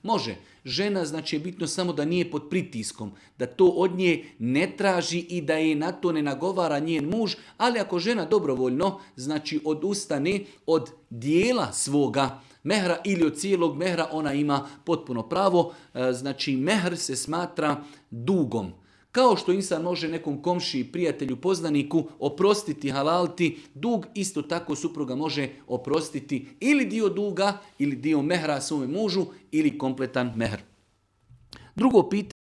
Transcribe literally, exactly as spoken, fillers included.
Može. Žena, znači je bitno samo da nije pod pritiskom, da to od nje ne traži i da je na to ne nagovara njen muž, ali ako žena dobrovoljno, znači odustane od dijela svoga mehra ili od cijelog mehra, ona ima potpuno pravo. Znači mehr se smatra dugom. Kao što insan može nekom komšiji, prijatelju, poznaniku oprostiti, halalti dug, isto tako supruga može oprostiti ili dio duga ili dio mehra svome mužu ili kompletan mehr. Drugo pitanje.